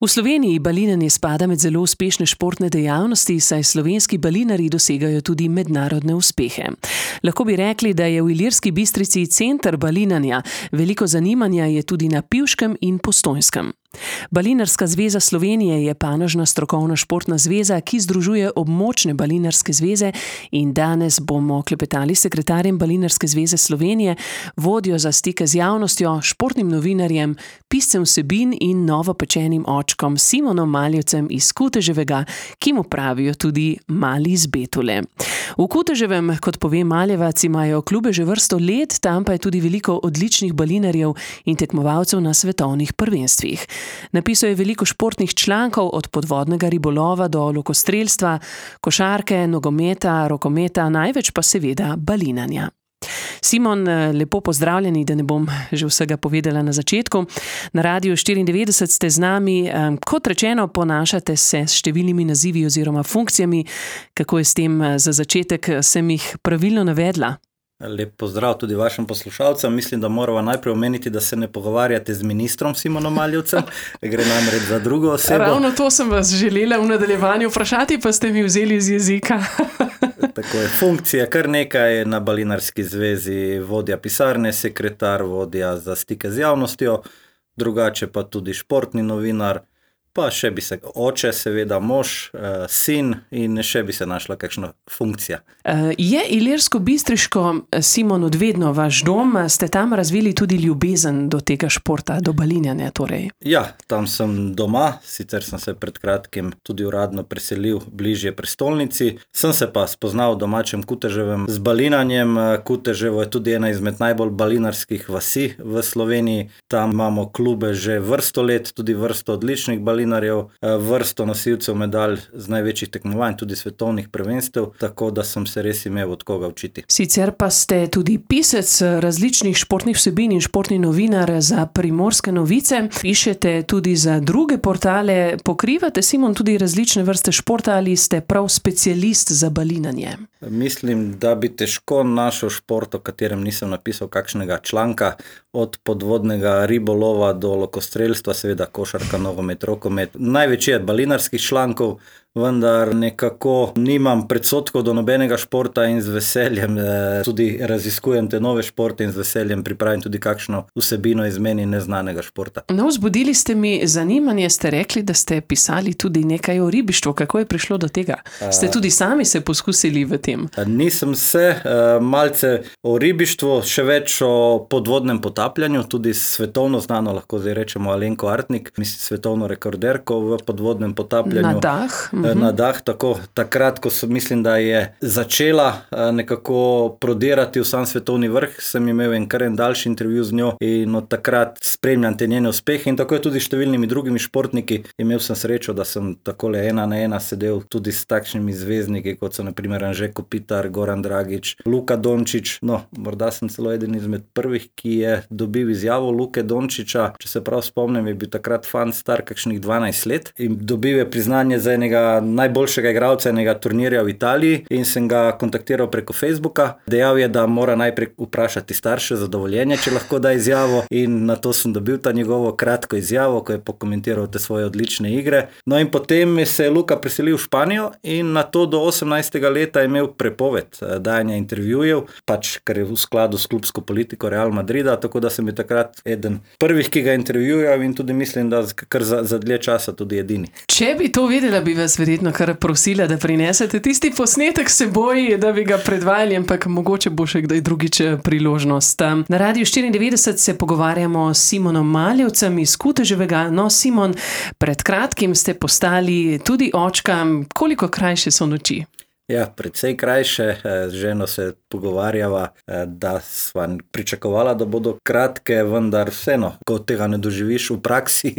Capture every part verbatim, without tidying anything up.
V Sloveniji balinanje spada med zelo uspešne športne dejavnosti, saj slovenski balinarji dosegajo tudi mednarodne uspehe. Lahko bi rekli, da je v Ilirski Bistrici center balinanja, veliko zanimanja je tudi na Pivškem in Postojnskem. Balinarska zveza Slovenije je panožna strokovna športna zveza, ki združuje območne balinarske zveze, in danes bomo klepetali s sekretarjem Balinarske zveze Slovenije, vodjo za stike z javnostjo, športnim novinarjem, piscem vsebin in novopečenim očkom Simonom Maljevcem iz Kuteževega, ki mu pravijo tudi Mali iz Betule. V Kuteževem, kot pove Maljevac, imajo klube že vrsto let, tam pa je tudi veliko odličnih balinarjev in tekmovalcev na svetovnih prvenstvih. Napisal je veliko športnih člankov, od podvodnega ribolova do lokostrelstva, košarke, nogometa, rokometa, največ pa seveda balinanja. Simon, lepo pozdravljeni, da ne bom že vsega povedala na začetku. Na Radiu štiriindevetdeset ste z nami. Kot rečeno, ponašate se s številnimi nazivi oziroma funkcijami. Kako je s tem za začetek, sem jih pravilno navedla? Lep pozdrav tudi vašim poslušalcem. Mislim, da moramo najprej omeniti, da se ne pogovarjate z ministrom Simonom Maljevcem. Gre namreč za drugo osebo. Ravno to sem vas želela v nadaljevanju vprašati, pa ste mi vzeli iz jezika. Tako je, funkcija kar nekaj na Balinarski zvezi, vodja pisarne, sekretar, vodja za stike z javnostjo, drugače pa tudi športni novinar, pa še bi se oče, seveda mož, sin in še bi se našla kakšna funkcija. Je Ilirsko-Bistriško, Simon, odvedno vaš dom? Ste tam razvili tudi ljubezen do tega športa, do balinjanja torej? Ja, tam sem doma, sicer sem se pred kratkim tudi uradno preselil bližje prestolnici. Sem se pa spoznal v domačem Kuteževem z balinanjem. Kuteževo je tudi ena izmed najbolj balinarskih vasi v Sloveniji. Tam imamo klube že vrsto let, tudi vrsto odličnih balinarjev, vrsto nosilcev medalj z največjih tekmovanj, tudi svetovnih prvenstev, tako da sem se res imel od koga učiti. Sicer pa ste tudi pisec različnih športnih vsebin in športni novinar za Primorske novice. Pišete tudi za druge portale. Pokrivate, Simon, tudi različne vrste športa ali ste prav specialist za balinanje? Mislim, da bi težko našel šport, o katerem nisem napisal kakšnega članka, od podvodnega ribolova do lokostrelstva, seveda košarka, nogomet, rokomet. Največ je balinarskih člankov, vendar nekako nimam predsodkov do nobenega športa in z veseljem eh, tudi raziskujem te nove športe in z veseljem pripravim tudi kakšno vsebino iz meni neznanega športa. No, vzbudili ste mi zanimanje, ste rekli, da ste pisali tudi nekaj o ribištvu. Kako je prišlo do tega? Ste tudi sami se poskusili v tem? Nisem se, malce o ribištvu, še več o podvodnem potapljanju, tudi svetovno znano, lahko zdaj rečemo Alenko Artnik, mislim svetovno rekorderko v podvodnem potapljanju. Na dah? Na dah, tako. Takrat, ko sem, mislim, da je začela nekako prodirati v sam svetovni vrh, sem imel en kar en daljši intervju z njo in od takrat spremljam te njene uspehe in tako je tudi številnimi drugimi športniki. Imel sem srečo, da sem takole ena na ena sedel tudi s takšnimi zvezdniki, kot so na primer Anže Kopitar, Goran Dragič, Luka Dončić. No, morda sem celo eden izmed prvih, ki je dobil izjavo Luke Dončića. Če se prav spomnim, je bil takrat fan star kakšnih dvanajst let in dobil je priznanje za enega najboljšega igralca enega turnirja v Italiji in sem ga kontaktiral preko Facebooka. Dejal je, da mora najprej vprašati starše za dovoljenje, če lahko da izjavo, in na to sem dobil ta njegovo kratko izjavo, ko je pokomentiral te svoje odlične igre. No in potem se je Luka preselil v Španijo in na to do osemnajstega leta je imel prepoved dajanja intervjujev, pač kar je v skladu s klubsko politiko Real Madrida, tako da sem je takrat eden prvih, ki ga intervjujal in tudi mislim, da kar za, za dlje časa tudi edini. Če bi to vedela, bi vas verjetno kar prosila, da prinesete tisti posnetek s seboj, da bi ga predvajali, ampak mogoče bo še kdaj drugič priložnost. Na Radiu štiriindevetdeset se pogovarjamo s Simonom Maljevcem iz Kuteževega. No, Simon, pred kratkim ste postali tudi očka. Koliko krajše so noči? Ja, precej krajše. Z ženo se pogovarjava, da sva pričakovala, da bodo kratke, vendar vseeno, ko tega ne doživiš v praksi,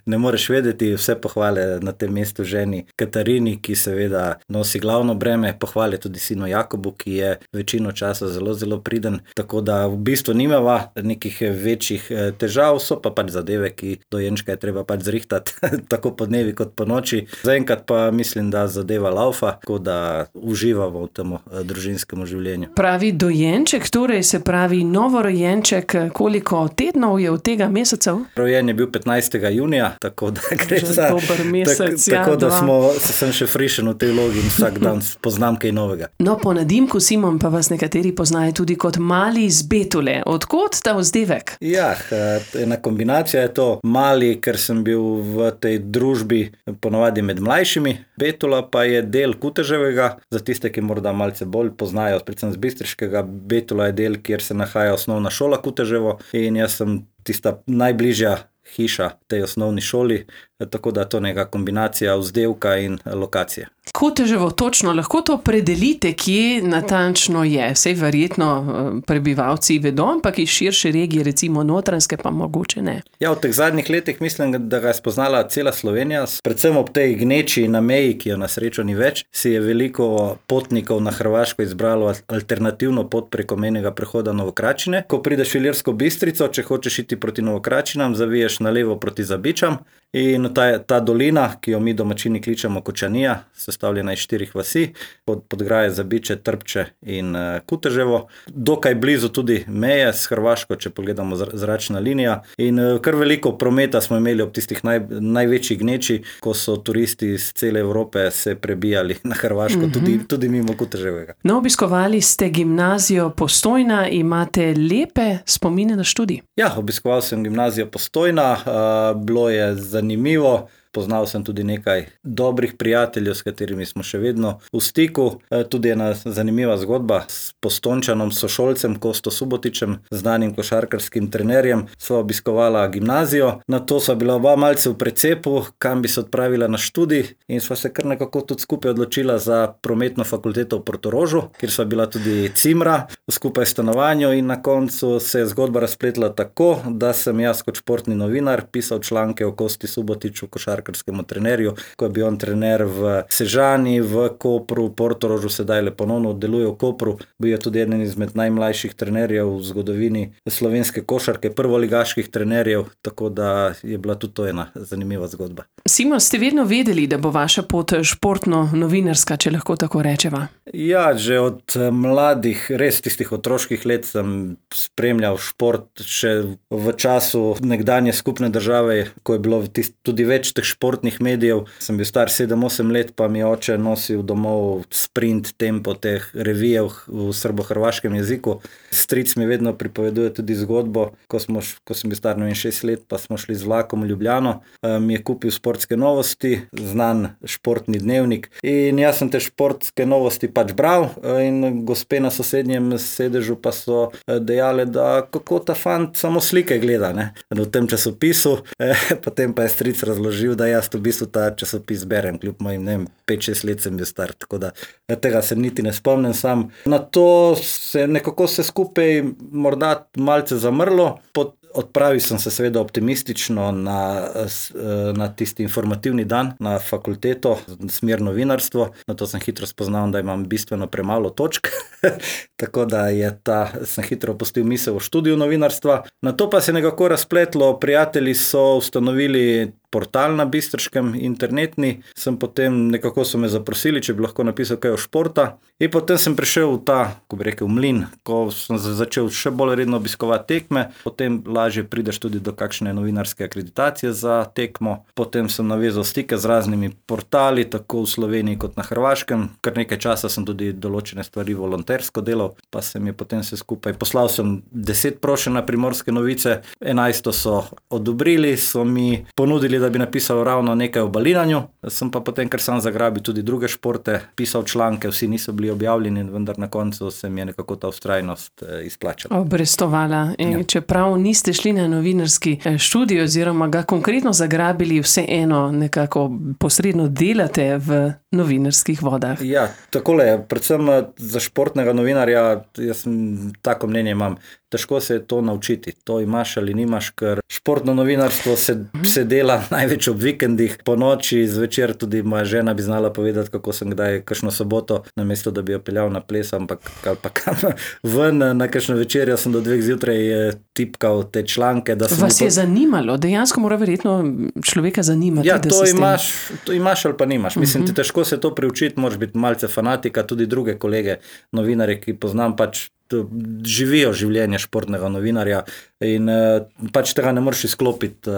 ne moreš vedeti. Vse pohvale na tem mestu ženi Katarini, ki seveda nosi glavno breme, pohvale tudi sinu Jakobu, ki je večino časa zelo, zelo priden, tako da v bistvu nimava nekih večjih težav, so pa pač zadeve, ki dojenčka je treba pač zrihtati, tako po dnevi kot po noči. Zaenkrat pa mislim, da zadeva laufa, tako da uživamo v tem družinskem življenju. Pravi dojenček, torej se pravi novorojenček, koliko tednov je od tega mesecev? Rojen je bil petnajstega junija, tako da gre Že za dober mesec, tak, ja, tako da dva. smo, sem še frišen v tej vlogi in vsak dan poznam kaj novega. No, po nadimku Simon pa vas nekateri poznajo tudi kot mali iz Betule. Odkot ta vzdevek? Ja, ena kombinacija je to. Mali, ker sem bil v tej družbi ponavadi med mlajšimi. Betula pa je del Kuteževega, za tiste, ki morda malce bolj poznajo, predvsem z Bistriškega. Betula je del, kjer se nahaja osnovna šola Kuteževo in jaz sem tista najbližja hiša tej osnovni šoli, tako da to neka kombinacija vzdevka in lokacije. Kuteževo, točno, lahko to predelite, kje natančno je. Sej verjetno prebivalci vedo, ampak iz širše regije, recimo Notranjske, pa mogoče ne. Ja, v teh zadnjih letih mislim, da ga je spoznala cela Slovenija, predvsem ob tej gneči na meji, ki jo na srečo ni več, si je veliko potnikov na Hrvaško izbralo alternativno pot preko mejnega prehoda Novokračine. Ko prideš v Ilirsko Bistrico, če hočeš iti proti Novokračinam, zaviješ na levo proti Zabičam in ta, ta dolina, ki jo mi domačini kličemo Kočanija, sestavljena iz štirih vasi, pod, Podgraje, Zabiče, Trpče in uh, Kuteževo. Dokaj blizu tudi meje s Hrvaško, če pogledamo zračna linija. In uh, kar veliko prometa smo imeli ob tistih naj, največjih gneči, ko so turisti iz cele Evrope se prebijali na Hrvaško, mm-hmm. tudi, tudi mimo Kuteževega. No, obiskovali ste gimnazijo Postojna, imate lepe spomine na študij? Ja, obiskoval sem gimnazijo Postojna, uh, bilo je zanimivo. Poznal sem tudi nekaj dobrih prijateljev, s katerimi smo še vedno v stiku. Tudi ena zanimiva zgodba s Postojnčanom, sošolcem Kosto Subotičem, znanim košarkarskim trenerjem. Sva obiskovala gimnazijo, nato sva bila oba malce v precepu, kam bi se odpravila na študij in sva se kar nekako tudi skupaj odločila za prometno fakulteto v Portorožu, kjer sva bila tudi cimra skupaj v stanovanju in na koncu se je zgodba razpletla tako, da sem jaz kot športni novinar pisal članke o Kosti Subotiču, košarkarskem trenerju, ko je bil on trener v Sežani, v Kopru, v Portorožu, sedaj le ponovno deluje v Kopru. Bil je tudi eden izmed najmlajših trenerjev v zgodovini slovenske košarke, prvoligaških trenerjev, tako da je bila tudi to ena zanimiva zgodba. Simon, ste vedno vedeli, da bo vaša pot športno-novinarska, če lahko tako rečeva? Ja, že od mladih, res tistih otroških let sem spremljal šport, še v času nekdanje skupne države, ko je bilo tist, tudi več teh športnih medijev. Sem bil star sedem osem let, pa mi oče nosil domov sprint, tempo teh revijev v srbo-hrvaškem jeziku. Stric mi vedno pripoveduje tudi zgodbo, ko, smo, ko sem bil star šest let, pa smo šli z vlakom v Ljubljano, mi je kupil sportske novosti, znan športni dnevnik in jaz sem te športske novosti pač bral in gospe na sosednjem sedežu pa so dejale, da kako ta fant samo slike gleda, ne, v tem časopisu, potem pa je stric razložil, da jaz v bistvu ta časopis berem, kljub mojim, ne vem, pet šest let sem bil star, tako da tega se niti ne spomnim sam. Na to se nekako se skupaj morda malce zamrlo, pod Odpravil sem se seveda optimistično na, na tisti informativni dan na fakulteto, smer novinarstvo. Na to sem hitro spoznal, da imam bistveno premalo točk, tako da je ta, sem hitro opustil misel o študiju novinarstva. Na to pa se nekako razpletlo, prijatelji so ustanovili portal na Bistriškem, internetni, sem potem nekako so me zaprosili, če bi lahko napisal kaj o športa. In potem sem prišel v ta, ko bi rekel, mlin, ko sem začel še bolj redno obiskovati tekme, potem lažje prideš tudi do kakšne novinarske akreditacije za tekmo. Potem sem navezal stike z raznimi portali, tako v Sloveniji kot na Hrvaškem. Kar nekaj časa sem tudi določene stvari volontersko delal, pa se mi je potem vse skupaj. Poslal sem deset prošenj na Primorske novice, enajsto so odobrili, so mi ponudili, da bi napisal ravno nekaj o balinanju. Sem pa potem, ker sam zagrabil tudi druge športe, pisal članke, vsi niso bili objavljeni, vendar na koncu se mi je nekako ta vztrajnost izplačala. Obrestovala. Ja. Čeprav niste šli na novinarski študij oziroma ga konkretno zagrabili, vseeno nekako posredno delate v novinarskih vodah. Ja, takole je. Predvsem za športnega novinarja, jaz tako mnenje imam, težko se je to naučiti. To imaš ali nimaš, ker športno novinarstvo se, se dela največ ob vikendih, po noči, zvečer tudi moja žena bi znala povedati, kako sem kdaj kakšno soboto, namesto da bi jo peljal na ples, ampak ali pa kam ven na kakšno večerjo sem do dveh zjutraj tipkal te članke. Da Vas je zanimalo? Dejansko mora verjetno človeka zanimati. Ja, da to se imaš, to imaš ali pa nimaš. Mislim, ti težko se to priučiti, moraš biti malce fanatika, tudi druge kolege, novinarje, ki poznam, pač živijo življenje športnega novinarja in pač tega ne moreš izklopiti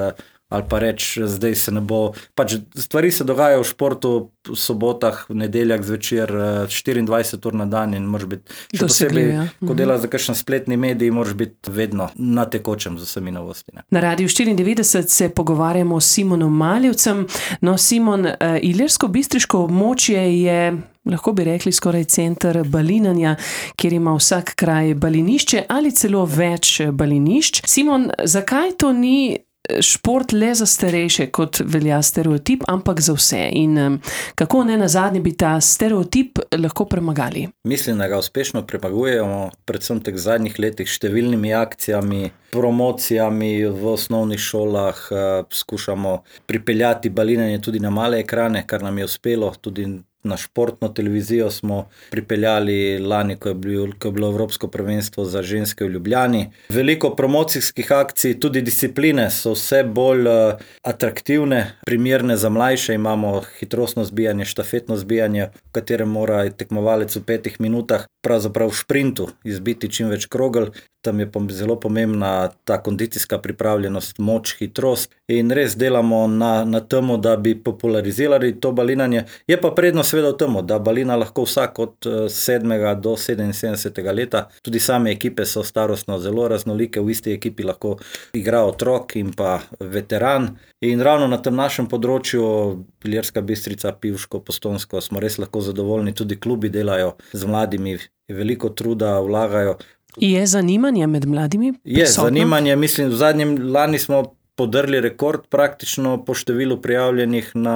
ali pa reči, zdaj se ne bo, pač stvari se dogajajo v športu v sobotah, v nedeljah zvečer, štiriindvajset ur na dan in moraš biti, še posebej, ko delaš za kakšen spletni medij, moraš biti vedno na tekočem z vsemi novosti. Ne. Na Radiu štiriindevetdeset se pogovarjamo s Simonom Maljevcem. No, Simon, ilirsko-bistriško območje je, lahko bi rekli, skoraj center balinanja, kjer ima vsak kraj balinišče ali celo več balinišč. Simon, zakaj to ni šport le za starejše, kot velja stereotip, ampak za vse? In kako ne nazadnje bi ta stereotip lahko premagali? Mislim, da ga uspešno premagujemo, predvsem teh zadnjih letih, številnimi akcijami, promocijami v osnovnih šolah, skušamo pripeljati balinanje tudi na male ekrane, kar nam je uspelo, tudi na športno televizijo smo pripeljali lani, ko je bilo, ko je bilo Evropsko prvenstvo za ženske v Ljubljani. Veliko promocijskih akcij, tudi discipline so vse bolj atraktivne, primerne za mlajše. Imamo hitrostno zbijanje, štafetno zbijanje, v katerem mora tekmovalec v petih minutah pravzaprav v šprintu izbiti čim več krogel. Tam je zelo pomembna ta kondicijska pripravljenost, moč, hitrost in res delamo na, na temu, da bi popularizirali to balinanje. Je pa prednost seveda v temu, da balina lahko vsak od sedmega do sedeminsedemdesetega leta. Tudi same ekipe so starostno zelo raznolike, v isti ekipi lahko igra otrok in pa veteran. In ravno na tem našem področju, Ilirska Bistrica, Pivško, Postojnsko, smo res lahko zadovoljni, tudi klubi delajo z mladimi, veliko truda vlagajo. Je zanimanje med mladimi prisotno? Je zanimanje, mislim, v zadnjem lani smo podrli rekord praktično po številu prijavljenih na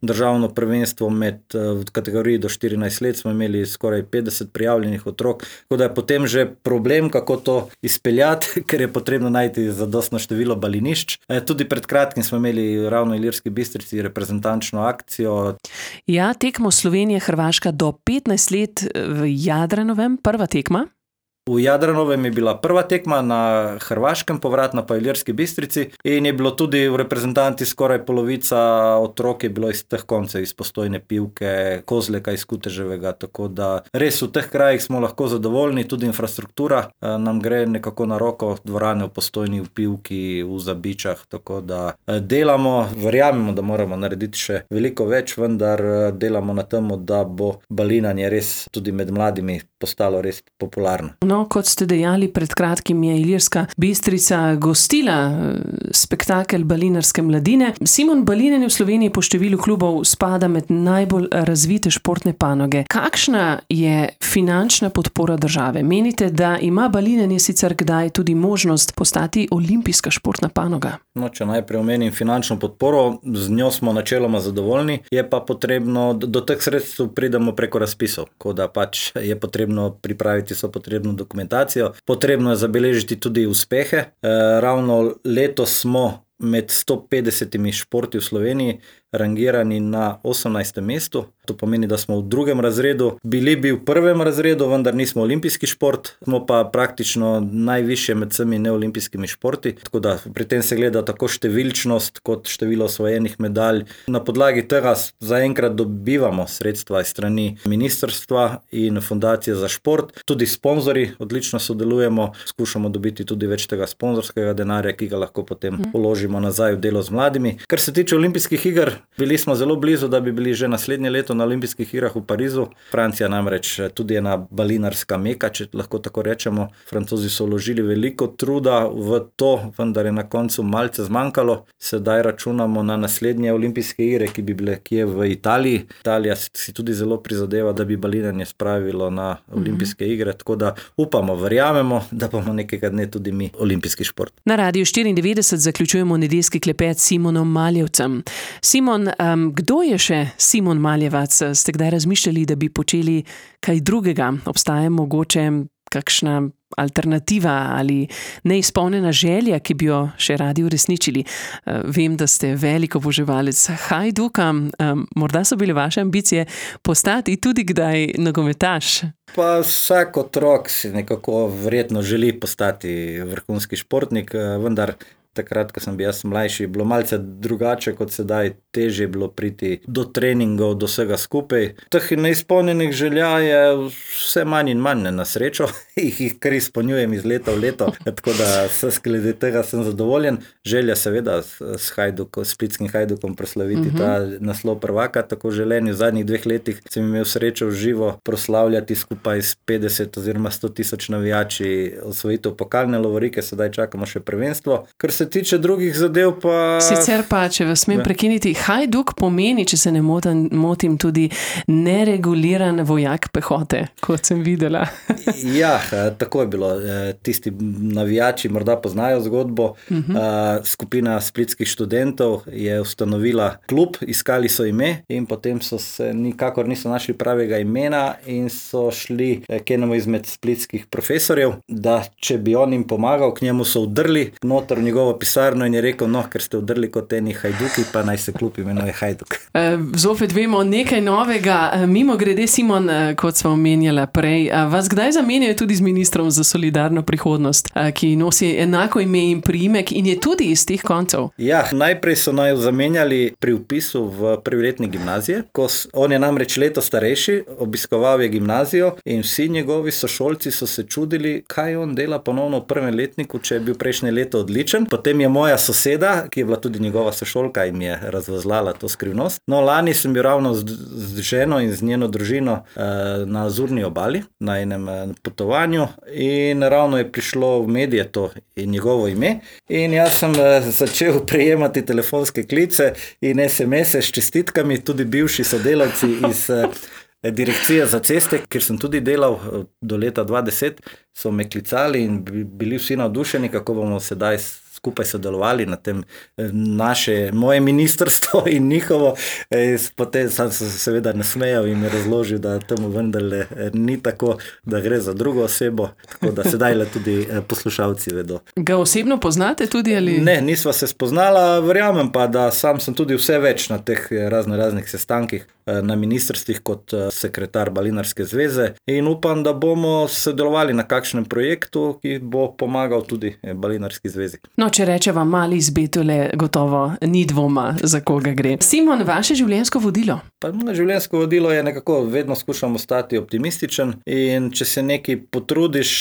državno prvenstvo med, v kategoriji do štirinajst let smo imeli skoraj petdeset prijavljenih otrok, tako da je potem že problem, kako to izpeljati, ker je potrebno najti zadostno število balinišč. Tudi pred kratkim smo imeli ravno v Ilirski Bistrici reprezentančno akcijo. Ja, tekmo Slovenije-Hrvaška do petnajst let v Jadranovem, prva tekma. V Jadranovem je bila prva tekma, na Hrvaškem povratna pa v Ilirski Bistrici in je bilo tudi v reprezentanti skoraj polovica otrok je bilo iz teh koncev, iz Postojne, Pivke, Kozleka, iz Kuteževega, tako da res v teh krajih smo lahko zadovoljni, tudi infrastruktura nam gre nekako na roko, dvorane v Postojni, v Pivki, v Zabičah, tako da delamo, verjamemo, da moramo narediti še veliko več, vendar delamo na temu, da bo balinanje res tudi med mladimi postalo res popularno. No, kot ste dejali, pred kratkim je Ilirska Bistrica gostila spektakel balinarske mladine. Simon, balinanje v Sloveniji po številu klubov spada med najbolj razvite športne panoge. Kakšna je finančna podpora države? Menite, da ima balinanje sicer kdaj tudi možnost postati olimpijska športna panoga? No, če najprej omenim finančno podporo, z njo smo načeloma zadovoljni, je pa potrebno, do teh sredstev pridemo preko razpisov, ko da pač je potrebno pripraviti so potrebno dokumentacijo, potrebno je zabeležiti tudi uspehe. E, ravno letos smo med sto petdesetimi športi v Sloveniji rangirani na osemnajstem mestu. To pomeni, da smo v drugem razredu. Bili bi v prvem razredu, vendar nismo olimpijski šport, smo pa praktično najvišje med vsemi neolimpijskimi športi. Tako da pri tem se gleda tako številčnost kot število osvojenih medalj. Na podlagi tega zaenkrat dobivamo sredstva iz strani ministrstva in fundacije za šport. Tudi sponzorji odlično sodelujemo, skušamo dobiti tudi več tega sponzorskega denarja, ki ga lahko potem položimo nazaj v delo z mladimi. Kar se tiče olimpijskih iger, bili smo zelo blizu, da bi bili že naslednje leto na olimpijskih igrah v Parizu. Francija namreč tudi ena balinarska meka, če lahko tako rečemo. Francozi so vložili veliko truda v to, vendar je na koncu malce zmanjkalo. Sedaj računamo na naslednje olimpijske igre, ki bi bile kje v Italiji. Italija si tudi zelo prizadeva, da bi balinanje spravilo na olimpijske igre, tako da upamo, verjamemo, da bomo nekega dne tudi mi olimpijski šport. Na Radiu štiriindevetdeset zaključujemo nedeljski klepet s Simonom Maljevcem. Simon, um, kdo je še Simon Maljevac? Ste kdaj razmišljali, da bi počeli kaj drugega? Obstaja mogoče kakšna alternativa ali neizpolnjena želja, ki bi jo še radi uresničili? Vem, da ste velik oboževalec Hajduka. Morda so bile vaše ambicije postati tudi kdaj nogometaš? Pa vsak otrok si nekako verjetno želi postati vrhunski športnik, vendar takrat, ko sem bil jaz mlajši, je bilo malce drugače kot sedaj, težje je bilo priti do treningov, do vsega skupaj. Teh neizpolnjenih želja je vse manj in manj, na srečo, jih kar izpolnjujem iz leta v leto, tako da s glede tega sem zadovoljen. Želja seveda s Hajdukom, splitskim Hajdukom proslaviti uh-huh. ta naslov prvaka, tako želeni. V zadnjih dveh letih sem imel srečo v živo proslavljati skupaj s petdeset oziroma sto tisoč navijači osvojitev pokalne lovorike, sedaj čakamo še prvenstvo. Kar se tiče drugih zadev pa... Sicer pa, če vas smem prekiniti, Hajduk pomeni, če se ne motim, motim tudi nereguliran vojak pehote, kot sem videla. Ja, tako je bilo. Tisti navijači morda poznajo zgodbo. Uh-huh. Skupina splitskih študentov je ustanovila klub, iskali so ime in potem so se nikakor niso našli pravega imena in so šli k enemu izmed splitskih profesorjev, da če bi on jim pomagal, k njemu so vdrli noter v njegovo pisarno in je rekel, no, ker ste vdrli kot eni Hajduki, pa naj se klub imenuje Hajduk. Zopet vemo nekaj novega. Mimo grede, Simon, kot smo omenjala prej, vas kdaj zamenjajo tudi z ministrom za solidarno prihodnost, ki nosi enako ime in priimek in je tudi iz teh koncev? Ja, najprej so naj zamenjali pri vpisu v prvi letnik gimnazije, ko on je namreč leto starejši, obiskoval je gimnazijo in vsi njegovi sošolci so se čudili, kaj on dela ponovno v prvem letniku, če je bil prejšnje leto odličen. Potem je moja soseda, ki je bila tudi njegova sošolka in mi je razvozlala to skrivnost. No, lani sem bil ravno z, z ženo in z njeno družino eh, na Azurni obali, na enem potovanju in ravno je prišlo v medije to in njegovo ime in jaz sem eh, začel prejemati telefonske klice in es em ese s čestitkami, tudi bivši sodelavci iz eh, Direkcije za ceste, kjer sem tudi delal do leta dva tisoč deset, so me klicali in bili vsi navdušeni, kako bomo sedaj skupaj sodelovali na tem naše, moje ministrstvo in njihovo. Potem sem se seveda nasmejal in mi razložil, da temu vendarle ni tako, da gre za drugo osebo, tako da sedaj le tudi poslušalci vedo. Ga osebno poznate tudi ali? Ne, nisva se spoznala, verjamem pa, da sam sem tudi vse več na teh razno raznih sestankih na ministrstvih kot sekretar Balinarske zveze in upam, da bomo sodelovali na kakšnem projektu, ki bo pomagal tudi Balinarski zvezi. No, če rečeva mali izbetole, gotovo ni dvoma, za koga gre. Simon, vaše življenjsko vodilo? Pa moje življenjsko vodilo je nekako, vedno skušam ostati optimističen in če se nekaj potrudiš,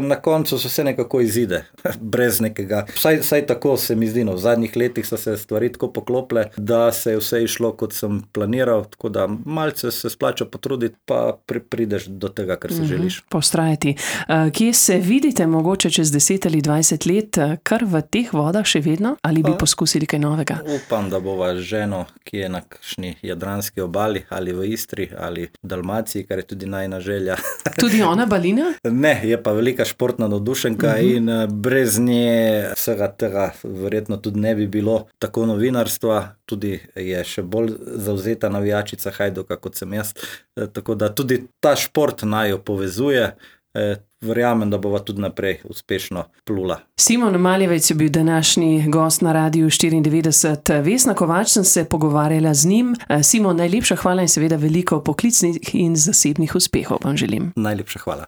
na koncu se vse nekako izide, brez nekega. Vsaj, vsaj tako se mi zdi, no, v zadnjih letih so se stvari tako poklople, da se je vse išlo, kot sem planiral, tako da malce se splača potruditi, pa pri, prideš do tega, kar se mm-hmm. želiš. Postrajati. Kje se vidite mogoče čez deset ali dvajset let, kar v teh vodah še vedno, ali bi poskusili kaj novega? Upam, da bova ženo, ki je na kakšni jadranski obali, ali v Istri, ali v Dalmaciji, kar je tudi najina želja. Tudi ona balina? Ne, je pa velika športna navdušenka uh-huh. in brez nje vsega tega verjetno tudi ne bi bilo tako novinarstva, tudi je še bolj zavzeta navijačica Hajduka, kot sem jaz, tako da tudi ta šport naj jo povezuje. Verjamem, da bova tudi naprej uspešno plula. Simon Maljevec je bil današnji gost na Radiu štiriindevetdeset. Vesna Kovač sem se pogovarjala z njim. Simon, najlepša hvala in seveda veliko poklicnih in zasebnih uspehov vam želim. Najlepša hvala.